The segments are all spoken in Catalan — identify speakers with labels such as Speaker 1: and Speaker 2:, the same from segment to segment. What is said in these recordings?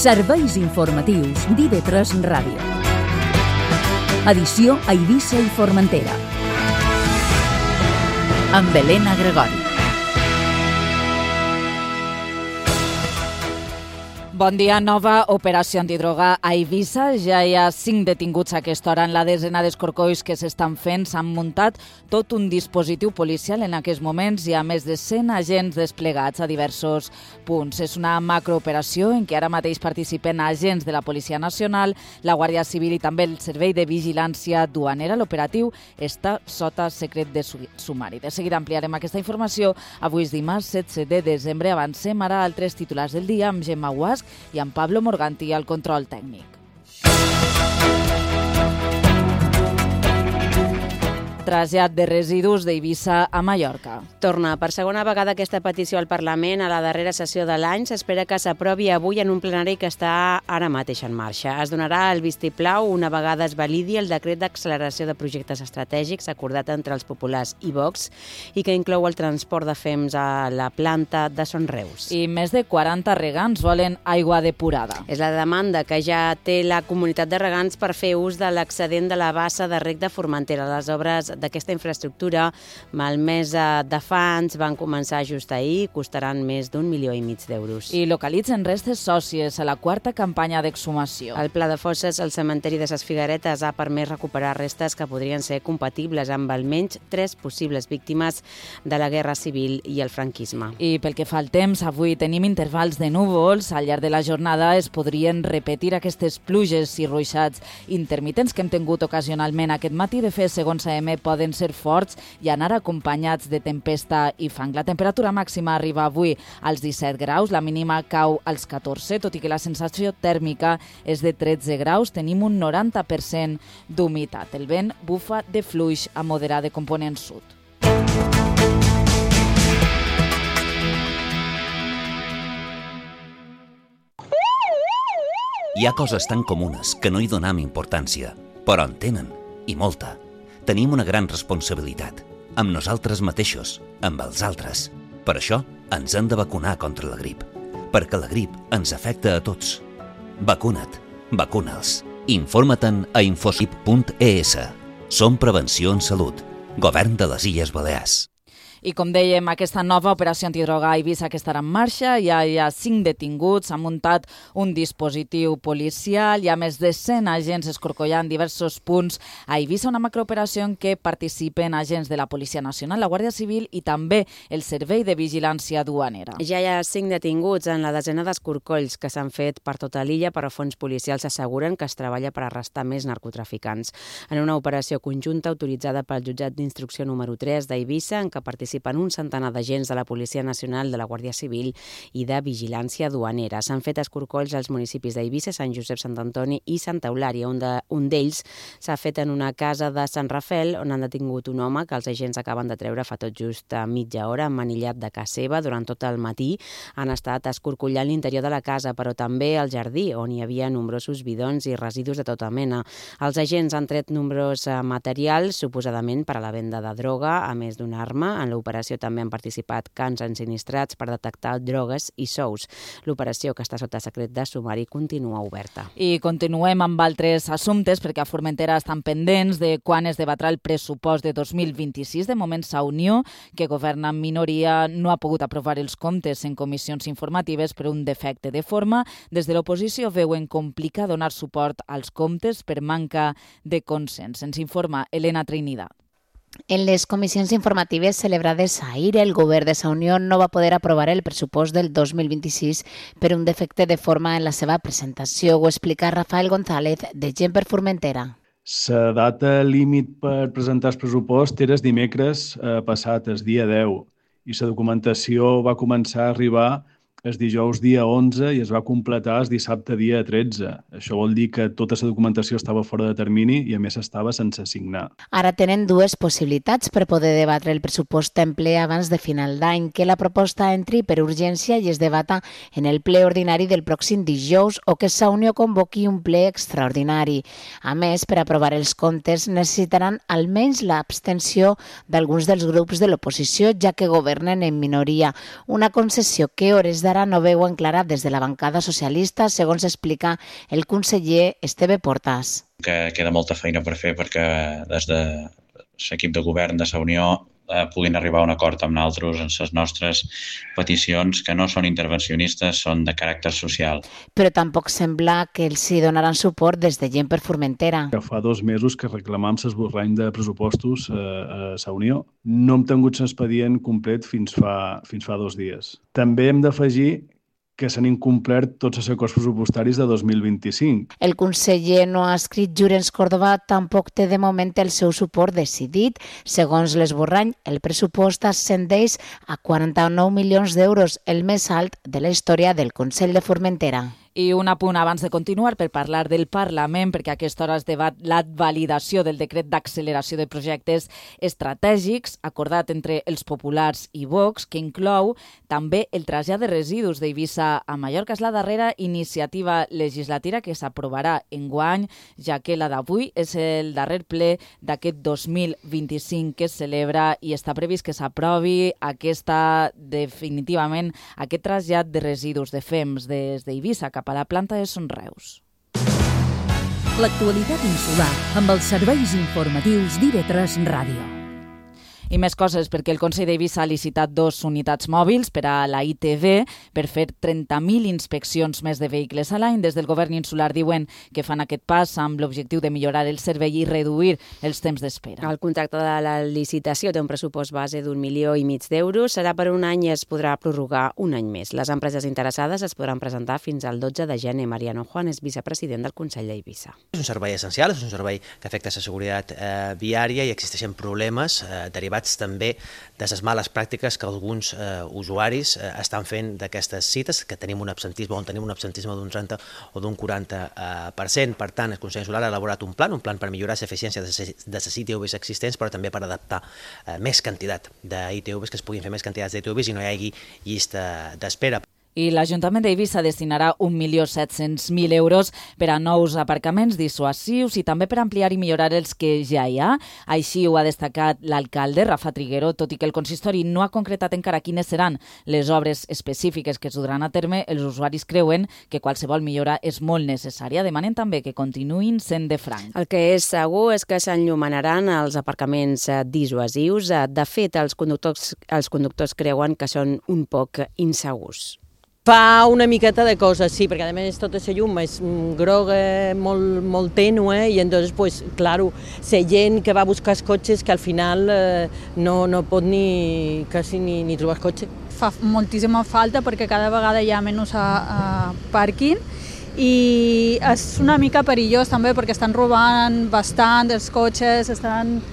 Speaker 1: Serveis informatius d'IV3 Ràdio. Edició a Eivissa i Formentera. Amb Helena Gregori.
Speaker 2: Bon dia. Nova operació antidroga a Eivissa. Ja hi ha 5 detinguts a aquesta hora en la desena d'escorcolls que s'estan fent. S'han muntat tot un dispositiu policial. En aquests moments hi ha més de 100 agents desplegats a diversos punts. És una macrooperació en què ara mateix participen agents de la Policia Nacional, la Guàrdia Civil i també el Servei de Vigilància Duanera. L'operatiu està sota secret de sumari. De seguida ampliarem aquesta informació. Avui és dimarts 16 de desembre. Avancem ara a altres titulars del dia amb Gemma Guasc i amb Pablo Morganti al control tècnic. Trasllat de residus d'Eivissa a Mallorca.
Speaker 3: Torna per segona vegada aquesta petició al Parlament a la darrera sessió de l'any. S'espera que s'aprovi avui en un plenari que està ara mateix en marxa. Es donarà el vistiplau una vegada es validi el decret d'acceleració de projectes estratègics acordat entre els populars i Vox i que inclou el transport de fems a la planta de Son Reus.
Speaker 2: I més de 40 regants volen aigua depurada.
Speaker 3: És la demanda que ja té la comunitat de regants per fer ús de l'excedent de la bassa de reg de Formentera. Les obres d'aquesta infraestructura, malmesa de fans, van començar just ahir i costaran més d'1,5 milió d'euros.
Speaker 2: I localitzen restes sòcies a la 4ª campanya d'exhumació.
Speaker 3: El Pla de Fosses al cementeri de Ses Figueretes ha permès recuperar restes que podrien ser compatibles amb almenys 3 possibles víctimes de la Guerra Civil i el franquisme.
Speaker 2: I pel que fa al temps, avui tenim intervals de núvols. Al llarg de la jornada es podrien repetir aquestes pluges i ruixats intermitents que hem tingut ocasionalment aquest matí. De fet, segons AM, poden ser forts i anar acompanyats de tempesta i fang. La temperatura màxima arriba avui als 17 graus, la mínima cau als 14, tot i que la sensació tèrmica és de 13 graus. Tenim un 90% d'humitat. El vent bufa de fluix a moderat de component sud.
Speaker 4: Hi ha coses tan comunes que no hi donem importància, però en tenen, i molta. Tenim una gran responsabilitat, amb nosaltres mateixos, amb els altres. Per això ens hem de vacunar contra la grip, perquè la grip ens afecta a tots. Vacuna't, vacuna'ls. Informa-te'n a infosip.es. Som Prevenció en Salut, Govern de les Illes Balears.
Speaker 2: I com dèiem, aquesta nova operació antidroga a Eivissa que estarà en marxa, ja hi ha 5 detinguts, s'ha muntat un dispositiu policial, hi ha més de 100 agents escorcollant diversos punts a Eivissa, una macrooperació en què participen agents de la Policia Nacional, la Guàrdia Civil i també el Servei de Vigilància Duanera.
Speaker 3: Ja hi ha 5 detinguts en la desena d'escorcolls que s'han fet per tota l'illa, però fons policials asseguren que es treballa per arrestar més narcotraficants. En una operació conjunta autoritzada pel jutjat d'instrucció número 3 d'Eivissa, en què participen un centenar d'agents de la Policia Nacional, de la Guàrdia Civil i de Vigilància Duanera. S'han fet escorcolls als municipis d'Eivissa, Sant Josep, Sant Antoni i Santa Eulària. Un d'ells s'ha fet en una casa de Sant Rafel, on han detingut un home que els agents acaben de treure fa tot just mitja hora, emmanillat de casa seva. Durant tot el matí han estat escorcollant l'interior de la casa, però també el jardí, on hi havia nombrosos bidons i residus de tota mena. Els agents han tret nombros materials, suposadament per a la venda de droga, a més d'una arma. En l'operació també han participat cans ensinistrats per detectar drogues i sous. L'operació, que està sota secret de sumari, continua oberta.
Speaker 2: I continuem amb altres assumptes, perquè a Formentera estan pendents de quan es debatrà el pressupost de 2026. De moment, Sa Unió, que governa en minoria, no ha pogut aprovar els comptes en comissions informatives per un defecte de forma. Des de l'oposició veuen complicat donar suport als comptes per manca de consens. Ens informa Elena Trinidad.
Speaker 5: En les comissions informatives celebrades ahir, el govern de Sa Unió no va poder aprovar el pressupost del 2026 per un defecte de forma en la seva presentació. Ho explica Rafael González, de Gent per Formentera.
Speaker 6: La data límit per presentar el pressupost era el dimecres passat, el dia 10, i la documentació va començar a arribar el dijous dia 11 i es va completar el dissabte dia 13. Això vol dir que tota la documentació estava fora de termini i a més estava sense signar.
Speaker 5: Ara tenen 2 possibilitats per poder debatre el pressupost en ple abans de final d'any, que la proposta entri per urgència i es debata en el ple ordinari del pròxim dijous o que Sa Unió convoqui un ple extraordinari. A més, per aprovar els comptes necessitaran almenys l'abstenció d'alguns dels grups de l'oposició, ja que governen en minoria, una concessió que hores d'ara d'ara no veuen clara des de la bancada socialista, segons explica el conseller Esteve Portas.
Speaker 7: Que queda molta feina per fer perquè des de l'equip de govern de la Unió puguin arribar a un acord amb nosaltres en les nostres peticions, que no són intervencionistes, són de caràcter social.
Speaker 5: Però tampoc sembla que els hi donaran suport des de Gent per Formentera.
Speaker 6: Fa 2 mesos que reclamam l'esborrany de pressupostos a la Unió. No hem tingut l'expedient complet fins fa 2 dies. També hem d'afegir que s'han incomplert tots els acords pressupostaris de 2025.
Speaker 5: El conseller no ha escrit Llorenç Córdoba tampoc té de moment el seu suport decidit. Segons l'esborrany, el pressupost ascendeix a 49 milions d'euros, el més alt de la història del Consell de Formentera.
Speaker 2: I un apunt abans de continuar per parlar del Parlament, perquè a aquesta hora es debat la validació del decret d'acceleració de projectes estratègics acordat entre els populars i Vox, que inclou també el trasllat de residus d'Eivissa a Mallorca. És la darrera iniciativa legislativa que s'aprovarà enguany, ja que la d'avui és el darrer ple d'aquest 2025 que es celebra i està previst que s'aprovi definitivament aquest trasllat de residus de fems des d'Eivissa cap a la planta de Son Reus.
Speaker 1: L'actualitat insular amb els serveis informatius d'IV3 Ràdio.
Speaker 2: I més coses, perquè el Consell d'Eivissa ha licitat 2 unitats mòbils per a la ITV per fer 30.000 inspeccions més de vehicles a l'any. Des del govern insular diuen que fan aquest pas amb l'objectiu de millorar el servei i reduir els temps d'espera.
Speaker 3: El contracte de la licitació té un pressupost base d'1,5 milió d'euros. Serà per un any i es podrà prorrogar un any més. Les empreses interessades es podran presentar fins al 12 de gener. Mariano Juan és vicepresident del Consell d'Eivissa.
Speaker 8: És un servei essencial, és un servei que afecta la seguretat viària i existeixen problemes derivats també de les males pràctiques que alguns usuaris estan fent d'aquestes cites, que tenim un absentisme d'un 30 o d'un 40%. Per tant, el Consell Insular ha elaborat un plan per millorar l'eficiència de les ITVs existents, però també per adaptar més quantitat d'ITVs, que es puguin fer més quantitats d'ITVs i no hi hagi llista d'espera.
Speaker 2: I l'Ajuntament d'Eivissa destinarà 1.700.000 euros per a nous aparcaments dissuasius i també per ampliar i millorar els que ja hi ha. Així ho ha destacat l'alcalde, Rafa Triguero. Tot i que el consistori no ha concretat encara quines seran les obres específiques que es duran a terme, els usuaris creuen que qualsevol millora és molt necessària. Demanen també que continuïn sent de franc.
Speaker 3: El que és segur és que s'enllumanaran els aparcaments dissuasius. De fet, els conductors creuen que són un poc insegurs.
Speaker 9: Fa una miqueta de coses, sí, perquè a més tota la llum és groga, molt tènue, i entonces, pues, claro, la gent que va a buscar els cotxes que al final no pot quasi ni trobar el cotxe.
Speaker 10: Fa moltíssima falta perquè cada vegada hi ha menys pàrquing i és una mica perillós també perquè estan robant bastant els cotxes, estan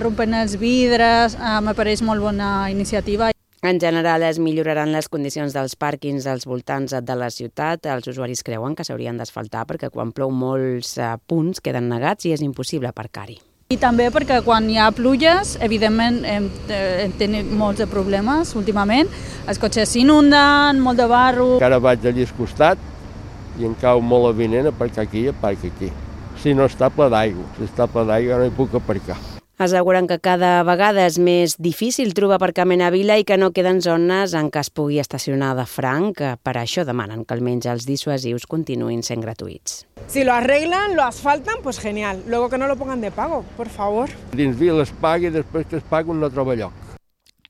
Speaker 10: rompent els vidres, me pareix molt bona iniciativa.
Speaker 3: En general, es milloraran les condicions dels pàrquings als voltants de la ciutat. Els usuaris creuen que s'haurien d'asfaltar perquè quan plou molts punts queden negats i és impossible aparcar-hi.
Speaker 10: I també perquè quan hi ha pluges, evidentment tenim molts de problemes últimament. Els cotxes s'inunden, molt de barro.
Speaker 11: Ara vaig allà al costat i em cau molt avinent aparcar aquí i aparcar aquí. Si no està ple d'aigua, no hi puc aparcar.
Speaker 3: Asseguren que cada vegada és més difícil trobar aparcament a Vila i que no queden zones en què es pugui estacionar de franc. Per això demanen que almenys els dissuasius continuïn sent gratuïts.
Speaker 12: Si lo arreglan, lo asfaltan, pues genial. Luego que no lo pongan de pago, por favor.
Speaker 11: Dins Vila es pagui i després que es pagui no troba lloc.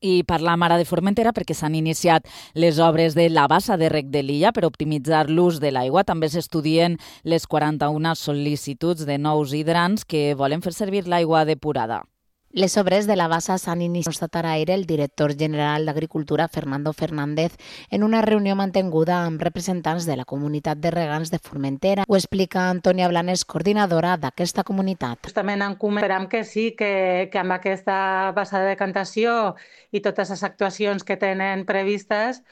Speaker 2: I parlam ara de Formentera perquè s'han iniciat les obres de la bassa de rec de l'illa per optimitzar l'ús de l'aigua. També s'estudien les 41 sol·licituds de nous hidrants que volen fer servir l'aigua depurada.
Speaker 5: Les obres de la bassa s'han iniciat, constatarà ahir el director general d'Agricultura, Fernando Fernández, en una reunió mantinguda amb representants de la comunitat de regants de Formentera. Ho explica Antònia Blanes, coordinadora d'aquesta comunitat.
Speaker 13: Justament esperam que sí, que amb aquesta bassa de decantació i totes les actuacions que tenen previstes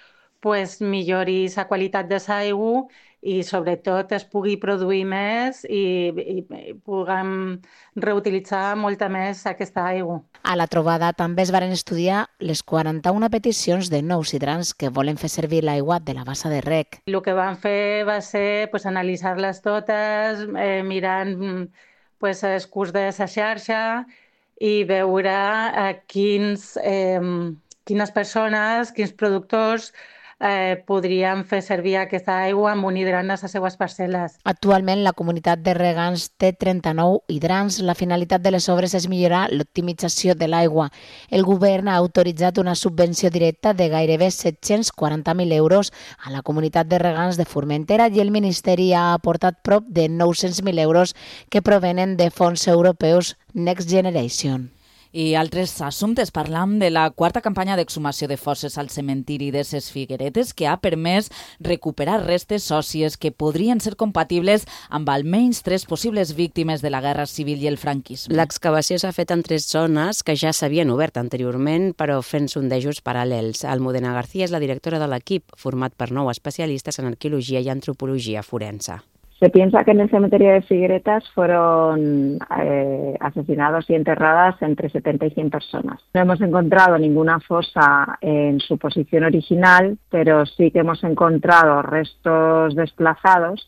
Speaker 13: millori la qualitat de l'aigua i sobretot es pugui produir més i puguem reutilitzar molta més aquesta aigua.
Speaker 5: A la trobada també es varen estudiar les 41 peticions de nous hidrants que volen fer servir l'aigua de la bassa de rec.
Speaker 13: El que vam fer va ser analitzar-les totes, mirant el curs de la xarxa i veure quines persones, quins productors podrien fer servir aquesta aigua amb un hidrant a les seues parcel·les.
Speaker 5: Actualment, la comunitat de regants té 39 hidrants. La finalitat de les obres és millorar l'optimització de l'aigua. El govern ha autoritzat una subvenció directa de gairebé 740.000 euros a la comunitat de regants de Formentera i el Ministeri ha aportat prop de 900.000 euros que provenen de fons europeus Next Generation.
Speaker 2: I altres assumptes. Parlam de la quarta campanya d'exhumació de fosses al cementiri de ses Figueretes que ha permès recuperar restes òssies que podrien ser compatibles amb almenys 3 possibles víctimes de la Guerra Civil i el franquisme.
Speaker 3: L'excavació s'ha fet en 3 zones que ja s'havien obert anteriorment, però fent sondejos paral·lels. Almudena García és la directora de l'equip, format per 9 especialistes en arqueologia i antropologia forense.
Speaker 14: Se piensa que en el cementerio de Figueretas fueron asesinados y enterradas entre 70 y 100 personas. No hemos encontrado ninguna fosa en su posición original, pero sí que hemos encontrado restos desplazados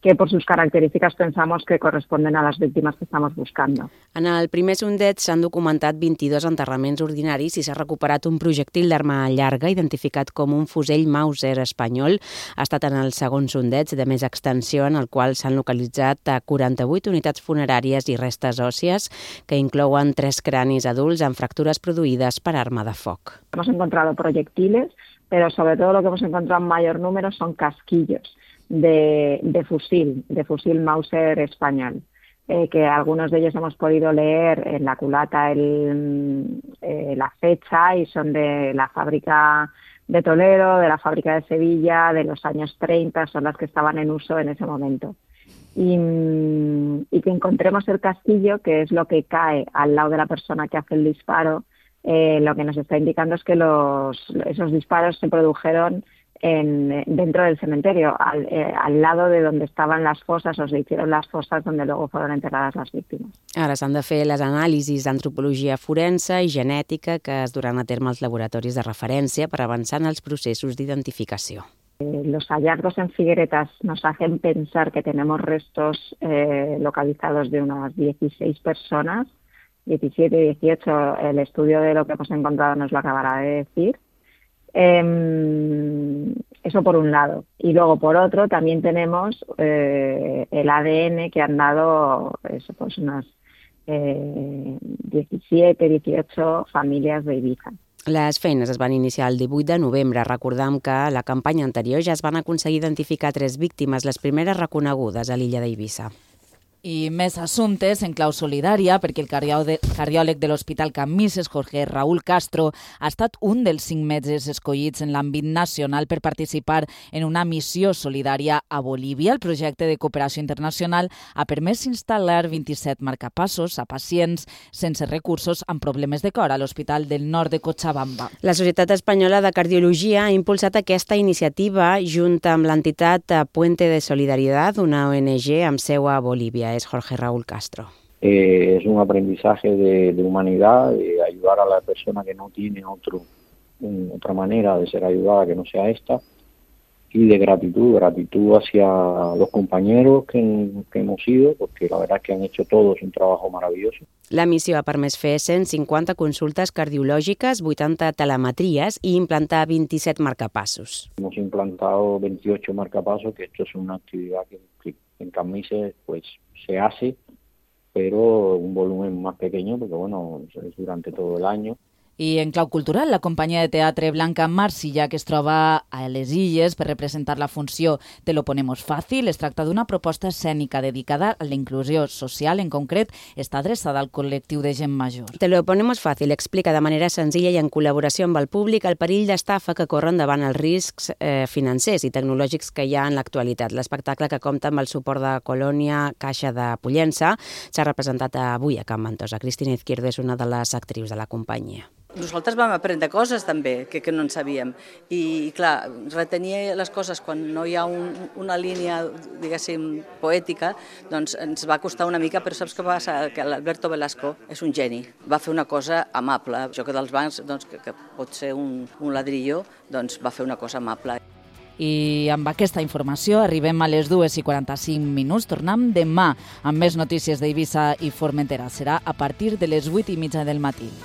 Speaker 14: que por sus características pensamos que corresponden a las víctimas que estamos buscando.
Speaker 3: En el primer sondeig s'han documentat 22 enterraments ordinaris i s'ha recuperat un projectil d'arma llarga identificat com un fusell Mauser espanyol. Ha estat en el segon sondeig de més extensió en el qual s'han localitzat 48 unitats funeràries i restes òssies que inclouen 3 cranis adults amb fractures produïdes per arma de foc.
Speaker 14: Hemos encontrado proyectiles, pero sobre todo lo que hemos encontrado en mayor número son casquillos de fusil Mauser español, que algunos de ellos hemos podido leer en la culata la fecha y son de la fábrica de Toledo, de la fábrica de Sevilla, de los años 30, son las que estaban en uso en ese momento. Y que encontremos el casquillo, que es lo que cae al lado de la persona que hace el disparo, lo que nos está indicando es que esos disparos se produjeron dentro del cementerio, al lado de donde estaban las fosas, o se hicieron las fosas donde luego fueron enterradas las víctimas.
Speaker 3: Ara s'han de fer les anàlisis d'antropologia forense i genètica que es duran a terme als laboratoris de referència per avançar en els processos d'identificació.
Speaker 14: Los hallazgos en Figueretas nos hacen pensar que tenemos restos localizados de unas 16 personas, 17, 18, el estudio de lo que hemos encontrado nos lo acabará de decir. Eso por un lado. Y luego por otro también tenemos el ADN que han dado unas 17, 18 familias de Ibiza.
Speaker 3: Les feines es van iniciar el 18 de novembre. Recordam que a la campanya anterior ja es van aconseguir identificar 3 víctimes, les primeres reconegudes a l'illa d'Eivissa.
Speaker 2: I més assumptes en clau solidària, perquè el cardiòleg de l'Hospital Can Misses, Jorge Raúl Castro, ha estat un dels 5 metges escollits en l'àmbit nacional per participar en una missió solidària a Bolívia. El projecte de cooperació internacional ha permès instal·lar 27 marcapassos a pacients sense recursos amb problemes de cor a l'Hospital del Nord de Cochabamba.
Speaker 3: La Societat Espanyola de Cardiologia ha impulsat aquesta iniciativa junt amb l'entitat Puente de Solidaridad, una ONG amb seu a Bolívia. Es Jorge Raúl Castro.
Speaker 15: Es un aprendizaje de humanidad, de ayudar a la persona que no tiene otra manera de ser ayudada que no sea esta, y de gratitud hacia los compañeros que hemos ido, porque la verdad es que han hecho todos un trabajo maravilloso.
Speaker 3: La missió ha permès fer 150 consultes cardiològiques, 80 telemetries i implantar 27 marcapassos.
Speaker 15: Hemos implantado 28 marcapasos, que esto es una actividad que en Can Misses pues se hace, pero un volumen más pequeño, porque bueno, es durante todo el año.
Speaker 2: I en clau cultural, la companyia de teatre Blanca Marsilla, que es troba a les Illes per representar la funció Te lo ponemos fácil, es tracta d'una proposta escènica dedicada a la inclusió social. En concret, està adreçada al col·lectiu de gent major.
Speaker 3: Te lo ponemos fácil explica de manera senzilla i en col·laboració amb el públic el perill d'estafa que corren davant els riscs financers i tecnològics que hi ha en l'actualitat. L'espectacle, que compta amb el suport de Colònia Caixa de Pollença, s'ha representat avui a Can Ventosa. Cristina Izquierdo és una de les actrius de la companyia.
Speaker 16: Nosaltres vam aprendre coses també que no en sabíem i clar, retenir les coses quan no hi ha una línia, diguéssim, poètica, doncs ens va costar una mica, però saps què passa? Que l'Alberto Velasco és un geni, va fer una cosa amable. Jo que dels bancs, doncs, que pot ser un ladrillo, doncs va fer una cosa amable.
Speaker 2: I amb aquesta informació arribem a les 2:45. Tornem demà amb més notícies d'Eivissa i Formentera. Serà a partir de les 8:30 del matí.